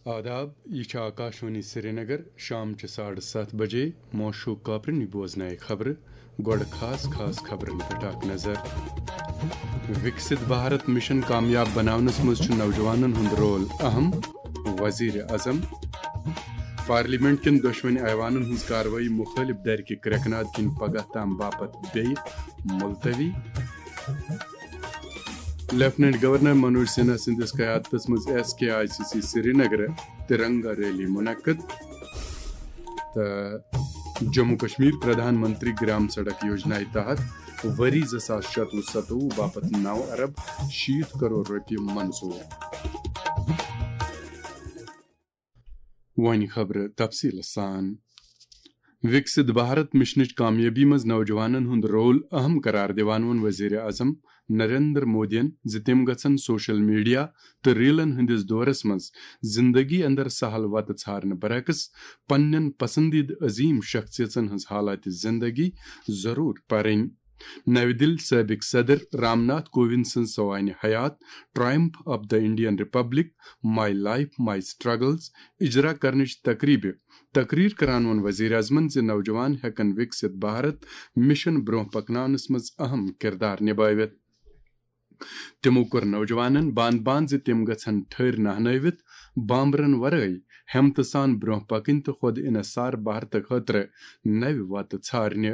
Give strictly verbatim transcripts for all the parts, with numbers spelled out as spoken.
آداب، یہِ چھِ آکاشوانی سرینگر، شام چہِ ساڑٕ ستھ بجے۔ موشوق کاپرنی بوزنایہِ خبرٕ۔ گۄڈٕ خاص خاص خبرن پٮ۪ٹھ اکھ نظر۔ وِکسِت بھارت مِشن کامیاب بناونس منٛز چھُ نوجوانن ہُنٛد رول اہم، وزیر اعظم۔ پارلیمنٹ کٮ۪ن دۄشوٕنی ایوانن ہٕنٛز کاروٲیی مُخٲلِف دھرِ کہِ کرٛٮ۪کہٕ ناد کِنۍ پگاہ تام باپتھ بیٚیہِ ملتوی۔ لیفٹیننٹ گورنر منوج سنہا سٕنٛدِس قیادتس منٛز S K I C C Srinagar Tiranga rally منعقد۔ تہٕ جموں کشمیر پردھان منتری گرام سڑک یوجنایہِ تحت ؤری زٕ ساس شتوُہ ستوُہ باپتھ نو ارب شیٖتھ کرور رۄپیہِ منظوٗر۔ وۄنۍ خبرٕ تفصیٖل سان۔ وِکسِت بھارت مِشنٕچ کامیٲبی منٛز نوجوانن ہُنٛد رول اہم قرار دِوان ووٚن وزیر اعظم نریندر مودیَن زِ تِم گژھن سوشل میڈیا تہٕ ریلن ہٕنٛدِس دورس منٛز زندگی اندر سہل وتہٕ ژھارنہٕ برعکس پننٮ۪ن پسندیدٕ عظیم شخصیژن ہٕنٛز حالات زندگی ضروٗر پرٕنۍ۔ نَوِ دِلہِ سٲبِق صدر رام ناتھ کووِند سٕنٛز سوانہِ حیات Triumph of the Indian Republic: My Life, My Struggles اجرا کرنٕچ تقریبہِ تقریر کران ووٚن وزیر اعظمن زِ نوجوان ہٮ۪کن وِکسِت بھارت مِشن برونٛہہ پکناونس منٛز اہم کردار نبٲوِتھ۔ تِمو کوٚر نوجوانن باند باند زِ تِم گژھن ٹھٔرۍ نہنٲوِتھ بامبرن ورٲے ہمتہٕ سان برونٛہہ پکٕنۍ تہٕ خۄد انحصار بھارتہٕ خٲطرٕ نوِ وتہٕ ژھارنہِ۔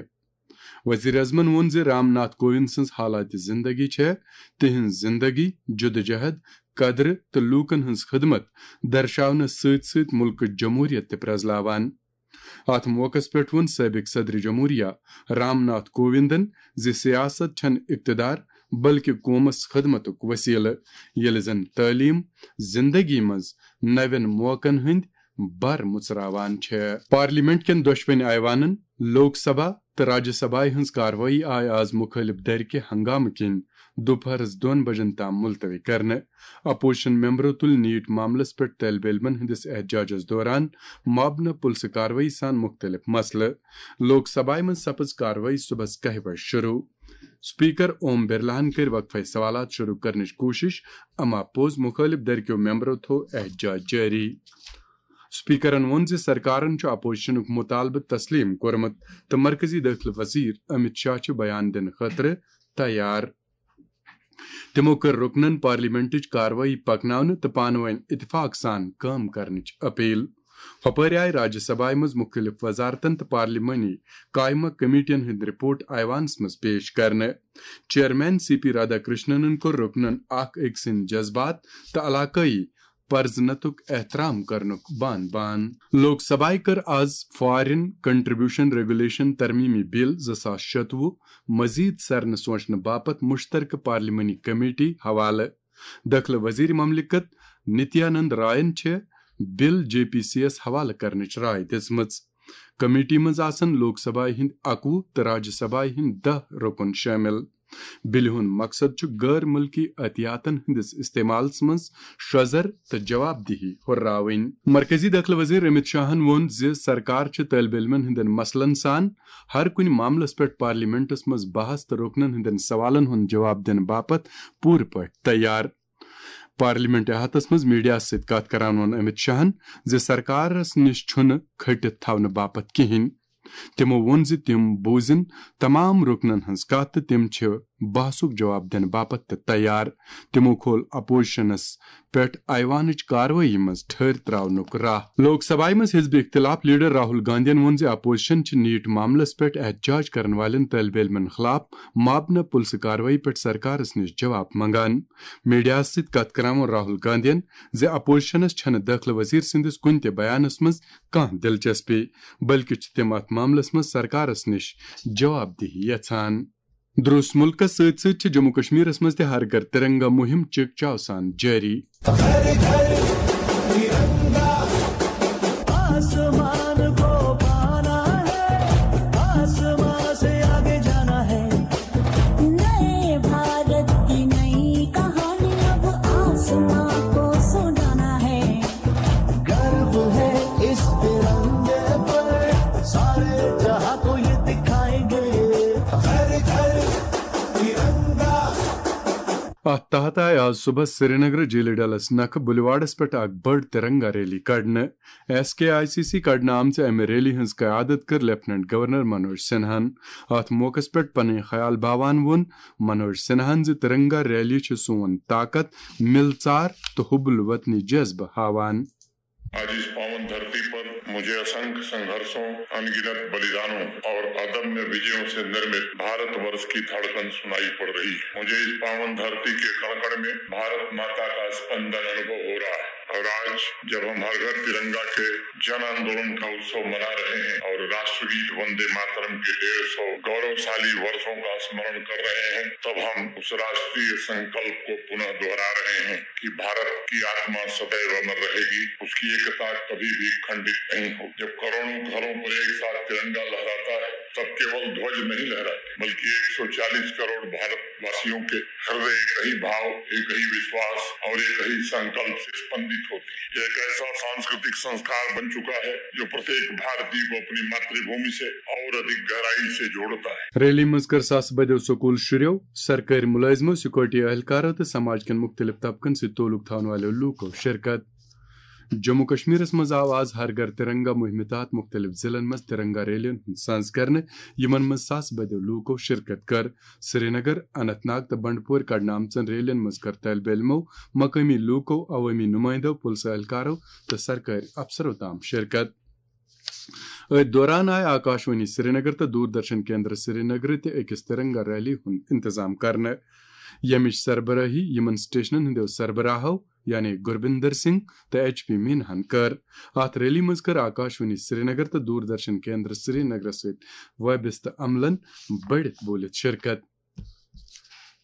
وزیر اعظمن ووٚن زِ رام ناتھ کووِند سٕنٛز حالات زندگی چھےٚ تِہنٛز زندگی، جدوجہد، قدرٕ تہٕ لوٗکن ہٕنٛز خدمت درشاونس سۭتۍ سۭتۍ مُلکٕچ جمہوریت تہِ پرٛزلاوان۔ اتھ موقعس پٮ۪ٹھ ووٚن سٲبِق صدر جمہوریہ رام ناتھ کووِندن زِ سیاست چھنہٕ اقتدار بلکہ قومس خدمتُک وسیلہٕ، ییٚلہِ زن تعلیم زندگی منٛز نوٮ۪ن موقعن ہٕنٛدۍ بر مُژراوان چھےٚ۔ پارلیمنٹ کٮ۪ن دۄشوٕنۍ ایوانن، لوک سبھا تہٕ راجیہ سبھایہ ہٕنٛز کاروٲیی آیہِ آز مُخٲلِف دھرِ کہِ ہنگامہٕ کِنۍ دُپہرس دۄن بجن تام ملتوی کرنہٕ۔ اپوزیشن ممبرو تُلۍ نیٖٹ معاملس پٮ۪ٹھ طٲلب علمن ہٕنٛدِس احتجاجس دوران مابنہ پُلسہٕ کاروٲیی سان مُختٔلِف مسلہٕ۔ لوک سبھایہ منٛز سپٕز کاروٲیی صبحس کاہہِ بجہِ شروع۔ اسپیکر اوم برلاہن کٔرۍ وقفے سوالات شروع کرنٕچ کوٗشش، اما پوٚز مُخٲلِف دھرِ کیو ممبرو تھوو احتجاج جٲری۔ اسپیکرن ووٚن زِ سرکارن چھُ اپوزیشنُک مُطالبہٕ تسلیم کوٚرمُت تہٕ مرکزی دٲخلہٕ وزیر امت شاہ چھُ بیان دِنہٕ خٲطرٕ تیار۔ تِمو کٔر رُکنن پارلیمنٹٕچ کاروٲیی پکناونہٕ تہٕ پانہٕ وٲنۍ اتفاق سان کٲم کرنٕچ اپیل۔ ہۄپٲرۍ آیہِ راجیہ سبھایہ منٛز مُختٔلِف وزارتن تہٕ پارلیمانی قائمہ کمیٹین ہٕنٛدۍ رپورٹ ایوانس منٛز پیش کرنہٕ۔ چیئرمین سی پی رادھا کرشننن کوٚر رُکنن اکھ أکۍ سٕنٛدۍ جذبات تہٕ علاقٲیی پرزنتُک احترام کرنُک بان بان۔ لوک سبھایہ کٔر آز فارن کنٹریبیوشن ریگولیشن ترمیمی بل زٕ ساس شتوُہ مزید سرنہٕ سوچنہٕ باپتھ مشترکہٕ پارلیمانی کمیٹی حوالہٕ۔ دٲخلہٕ وزیر مملکت نتیانند راین چھِ بل جے پی سی یس حوالہٕ کرنٕچ راے دِژمٕژ۔ کمیٹی منٛز آسن لوک سبھایہ ہٕنٛدۍ اکوُہ تہٕ راجیہ سبھایہ ہٕنٛدۍ دَہ رُکُن شٲمِل۔ بِلہِ ہُنٛد مقصد چھُ غٲر مُلکی عطیاتن ہٕنٛدِس استعمالس منٛز شۄزر تہٕ جواب دہی ہُرراوٕنۍ۔ مرکزی دٲخلہٕ وزیر امت شاہن ووٚن زِ سرکار چھِ طٲلب علمن ہٕنٛدٮ۪ن مسلن سان ہر کُنہِ معاملس پٮ۪ٹھ پارلیمنٹس منٛز بحث تہٕ رُکنن ہٕنٛدٮ۪ن سوالن ہُنٛد جواب دِنہٕ باپتھ پوٗرٕ پٲٹھۍ تیار۔ پارلیمنٹ احاطس منٛز میڈیاہس سۭتۍ کتھ کران ووٚن امت شاہن زِ سرکارس نِش چھُنہٕ کھٔٹِتھ تھاونہٕ باپتھ کِہینۍ۔ تِمو ووٚن زِ تِم بوزن تمام رُکنن ہٕنٛز کتھ تہٕ تِم چھِ بحثُک جواب دِنہٕ باپتھ تہِ تیار۔ تِمو کھول اپوزیشنس پٮ۪ٹھ ایوانٕچ کاروٲیی منٛز ٹھٔہر تراونُک راہ۔ لوک سبھایہ منٛز حزب اختلاف لیڈر راہل گاندھین ووٚن زِ اپوزیشن چھِ نیٹ معاملس پٮ۪ٹھ احتجاج کرن والٮ۪ن طٲلب علمن خلاف مابنہ پُلسہٕ کاروٲیی پٮ۪ٹھ سرکارس نِش جواب منگان۔ میڈیاہس سۭتۍ کتھ کران ووٚن راہل گاندھین زِ اپوزیشنس چھنہٕ دٲخلہٕ وزیر سٕنٛدِس کُنہِ تہِ بیانس منٛز کانٛہہ دلچسپی، بلکہِ چھِ تِم اتھ معاملس منٛز سرکارس نِش جواب دہی یژھان۔ درُس مُلکس سۭتۍ سۭتۍ چھِ جموں کشمیرس منٛز تہِ ہر گھر ترنگا مُہِم چِکچاو سان جٲری۔ आसमान को पाना है, आसमान से आगे जाना है। नए भारत की नई कहानी अब आसमां को सुनाना है। गर्व है इस तिरंगे पर, सारे जहां को ये दिखाएंगे। हर घर तिरंगा। اتھ تحت آیہِ آز صبحس سرینگر جیٖلہِ ڈلس نکھٕ بلیوارڈس پٮ۪ٹھ اکھ بٔڑ ترنگا ریلی کڑنہٕ۔ S K I C C کڑنہٕ آمژِ امہِ ریلی ہٕنٛز قیادت کٔر لیفٹیننٹ گورنر منوج سنہاہن۔ اتھ موقعس پٮ۪ٹھ پنٕنۍ خیال باوان ووٚن منوج سنہاہن زِ ترنگا ریلی چھِ سون طاقت، مِلژار تہٕ حب الوطنی جذبہٕ ہاوان۔ आज इस पावन धरती पर मुझे असंख्य संघर्षों, अनगिनत बलिदानों और अदम्य विजयों से निर्मित भारतवर्ष की धड़कन सुनाई पड़ रही है। मुझे इस पावन धरती के कण-कण में भारत माता का स्पंदन अनुभव हो रहा है। और आज जब हम हर घर तिरंगा के जन आंदोलन का उत्सव मना रहे हैं और राष्ट्रगीत वंदे मातरम के डेढ़ सौ गौरवशाली वर्षों का स्मरण कर रहे हैं, तब हम उस राष्ट्रीय संकल्प को पुनः दोहरा रहे हैं कि भारत की आत्मा सदैव अमर रहेगी, उसकी एकता कभी भी खंडित नहीं होगी। जब करोड़ों घरों पर एक साथ तिरंगा लहराता है, तब केवल ध्वज नहीं लहराते, बल्कि एक सौ चालीस करोड़ भारतवासियों के हृदय एक ही भाव, एक ही विश्वास और एक ही संकल्प से स्पंदित होते हैं। यह एक ऐसा सांस्कृतिक संस्कार बन चुका है, जो प्रत्येक भारतीय को अपनी मातृभूमि से और अधिक गहराई से जोड़ता है। ریلی منٛز کٔر ساسہٕ بٔدیو سکوٗل شُرٮ۪و، سرکٲرۍ مُلٲزمو، سیکورٹی اہلکارو تہٕ سماج کٮ۪ن مُختٔلِف طبقن سۭتۍ تعلق تھاون والٮ۪و لوٗکو شرکت۔ جموں کشمیرس منٛز آو آز ہر گھر ترنگا مہمہِ تحت مُختٔلِف ضلعن منٛز ترنگا ریلین ہُنٛد سنز کرنہٕ، یِمن منٛز ساسہٕ بٔدیو لوٗکو شرکت کٔر۔ سرینگر، اننت ناگ تہٕ بنڈپور کڑنہٕ آمژن ریلین منٛز کٔر طٲلبہِ علمو، مقٲمی لوٗکو، عوٲمی نُمٲیندو، پُلسہٕ اہلکارو تہٕ سرکٲرۍ افسرو تام شرکت۔ أتھۍ دوران آیہِ آکاشوانی سرینگر تہٕ دوردرشن کیندر سرینگر تہِ أکِس ترنگا ریلی ہُنٛد انتظام کرنہٕ، ییٚمِچ سربرٲہی یِمن سٹیشنن ہٕنٛدیو سربراہو، یعنی گربندر سنگھ تہٕ ایچ پی مینہن کٔر۔ اتھ ریلی منٛز کٔر آکاشوانی سرینگر تہٕ دوردرشن کیندر سرینگرس سۭتۍ وابستہٕ عملن بٔڑِتھ بوٗلِتھ شرکت۔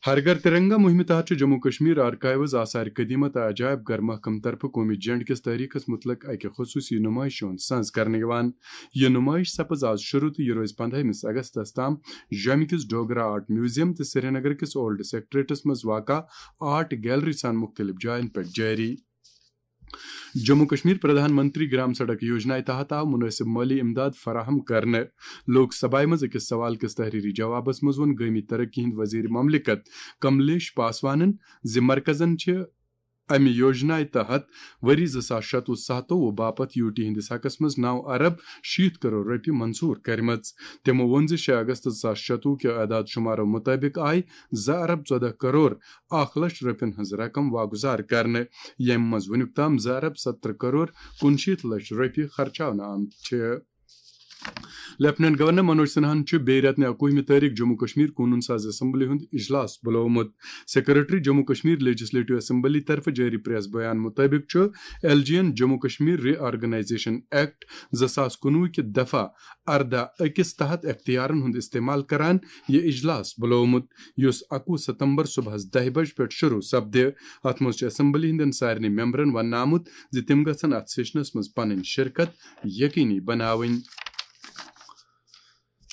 ہر گھر ترنگا مہمہِ تحت چھُ جموں کشمیر آرکائیوز، آثار قدیمہ تہٕ عجائب گھر محکمہٕ طرفہٕ قومی جنڈ کِس تٲریخس متعلق اکہِ خصوصی نمائش ہُنٛد سنز کرنہٕ یِوان۔ یہِ نمائش سپٕز آز شروع تہٕ یہِ روزِ پندہمس اگستس تام جوٚمہِ کِس ڈوگرا آرٹ میوزیم تہٕ سرینگر کِس اولڈ سیکرٹریٹس منٛز واقع آرٹ گیلری سان مُختٔلِف جاین پٮ۪ٹھ جٲری۔ جموں کشمیر پردھان منتری گرام سڑک یوجنا تحت آو مناسب مٲلی امداد فراہم کرنہٕ۔ لوک سبھایہ منٛز أکِس سوال کِس تحریری جوابس منٛز ووٚن گٲمی ترقی ہٕنٛدۍ وزیر مملکت کملیش پاسوانن زِ مرکزن چھِ امہِ یوجنا تحت ؤری زٕ ساس شتوُہ ستووُہ باپتھ یو ٹی ہٕنٛدِس حقس منٛز نو ارب شیٖتھ کرور رۄپیہِ منظور کٔرمٕژ۔ تِمو ووٚن زِ شےٚ اگست زٕ ساس شتوُہ کہِ اعداد شمارو مُطٲبِق آیہِ زٕ ارب ژۄدہ کرور اکھ لچھ رۄپین ہٕنٛز رقم واگُزار کرنہٕ، ییٚمہِ منٛز وُنیُک تام زٕ ارب ستترہ کرور کُنشیٖتھ لچھ رۄپیہِ خرچاونہٕ آمٕتۍ چھِ۔ لیفٹیننٹ گورنر منوج سنہاہن چھُ بیٚیہِ رٮ۪تہٕ نہِ اکوُہمہِ تٲریخ جموں کشمیر قونوٗن ساز اسمبلی ہُنٛد اجلاس بُلومُت۔ Secretary Jammu Kashmir legislative assembly طرفہٕ جٲری پریس بیان مُطٲبِق چھُ ایل جی یَن Jammu Kashmir reorganisation act زٕ ساس کُنوُہ کہِ دفعہ اردہ أکِس تحت اختیارن ہُنٛد استعمال کران یہِ اجلاس بُلومُت، یُس اکوُہ ستمبر صبحس دَہہِ بجہِ پٮ۪ٹھ شروع سپدِ۔ اتھ منٛز چھُ اسمبلی ہٕنٛدٮ۪ن سارنٕے ممبرن وننہٕ آمُت زِ تِم گژھن اتھ سیشنس منٛز پنٕنۍ شرکت یقینی بناوٕنۍ۔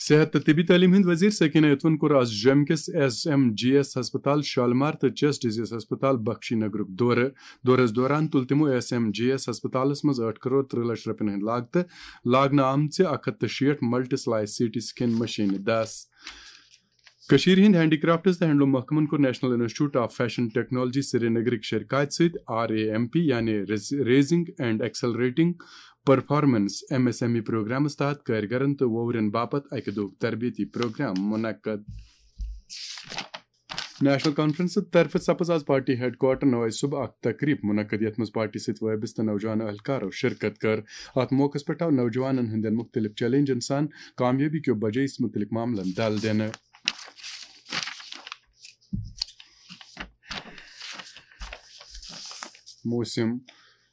صحت تہٕ طبی تعلیٖم ہٕنٛدۍ وزیر سکینہ اتون کوٚر آز جوٚمہِ کِس ایس ایم جی ایس ہسپتال شالمار تہٕ چیسٹ ڈیزیز ہسپتال بخشی نگرُک دورٕ۔ دورس دوران تُل تِمو ایس ایم جی ایس ہسپتالس منٛز ٲٹھ کرور ترٕہ لچھ رۄپین ہٕنٛدِ لاگتہٕ لاگنہٕ آمژِ اکھ ہتھ تہٕ شیٹھ multi slice C T scan مشینہٕ دس۔ کٔشیٖرِ ہٕنٛدۍ ہینڈی کرافٹس تہٕ ہینڈلوم محکمن کوٚر national institute of fashion technology سرینگرٕکۍ شرکاتۍ سۭتۍ آر اے ایم پی، یعنی raising and accelerating performance, M S M E programmes تحت کٲرگرن تہٕ ووورٮ۪ن باپتھ اکہِ دۄہُک تربیتی پروگرام منعقد۔ نیشنل کانفرنس طرفہٕ سپٕز آز پارٹی ہیڈ کوارٹر نوائے صبح اکھ تقریب منعقد، یتھ منٛز پارٹی سۭتۍ وابستہٕ نوجوان اہلکارو شرکت کٔر۔ اتھ موقعس پٮ۪ٹھ آو نوجوانن ہٕنٛدٮ۪ن مُختٔلِف چیلنجن سان کامیٲبی کیو بجٲیِس مُتعلق معاملن دل دِنہٕ۔ موسم۔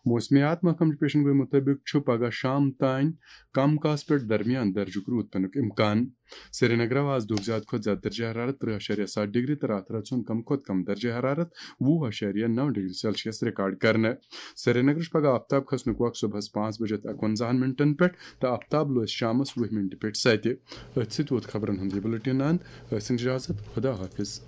موسمیات محکمہٕ چہِ پیشن گوئی مُطٲبِق چھُ پگہہ شام تام کم کاس پٮ۪ٹھ درمیان درجُک روٗد پینُک امکان۔ سرینگر آو آز دۄہُک زیادٕ کھۄتہٕ زیادٕ درجہ حرارت ترٕہ اَشاریہ ستھ ڈگری تہٕ راتھ رٲژ ہُنٛد کم کھۄتہٕ کم درجہ حرارت وُہ اَشاریہ نو ڈگری سیلسیس ریکارڈ کرنہٕ۔ سرینگرٕ چھُ پگہہ آفتاب کھسنُک وق صبحس پانٛژھ بجے تہٕ اَکوَنزاہن منٹن پٮ۪ٹھ تہٕ آفتاب لوسہِ شامس وُہہِ منٹہِ پٮ۪ٹھ ستہِ۔ أتھۍ سۭتۍ ووت خبرن ہُنٛد یہِ بُلٹن اند۔ ٲسِن اجازت، خدا حافظ۔